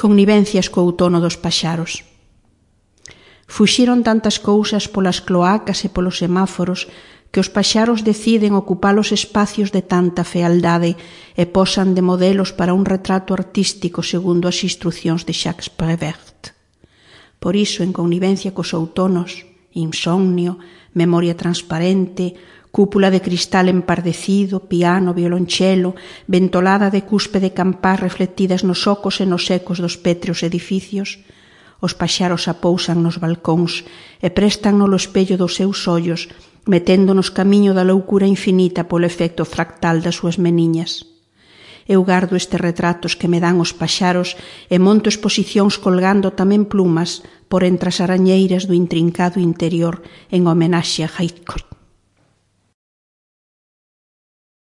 connivencias co outono dos paxaros. Fuxiron tantas cousas polas cloacas e polos semáforos que os paxaros deciden ocupar os espacios de tanta fealdade e posan de modelos para un retrato artístico segundo as instruccións de Jacques Prévert. Por iso, en connivencia cos outonos, insomnio, memoria transparente, cúpula de cristal empardecido, piano, violonchelo, ventolada de cuspe de campás reflectidas nos ocos e nos ecos dos pétreos edificios, os paxaros apousan nos balcóns e prestan no espello dos seus ollos, meténdonos camiño da loucura infinita polo efecto fractal das súas meniñas. Eu gardo estes retratos que me dan os paxaros e monto exposicións colgando tamén plumas por entre as arañeiras do intrincado interior en homenaxe a Heathcote.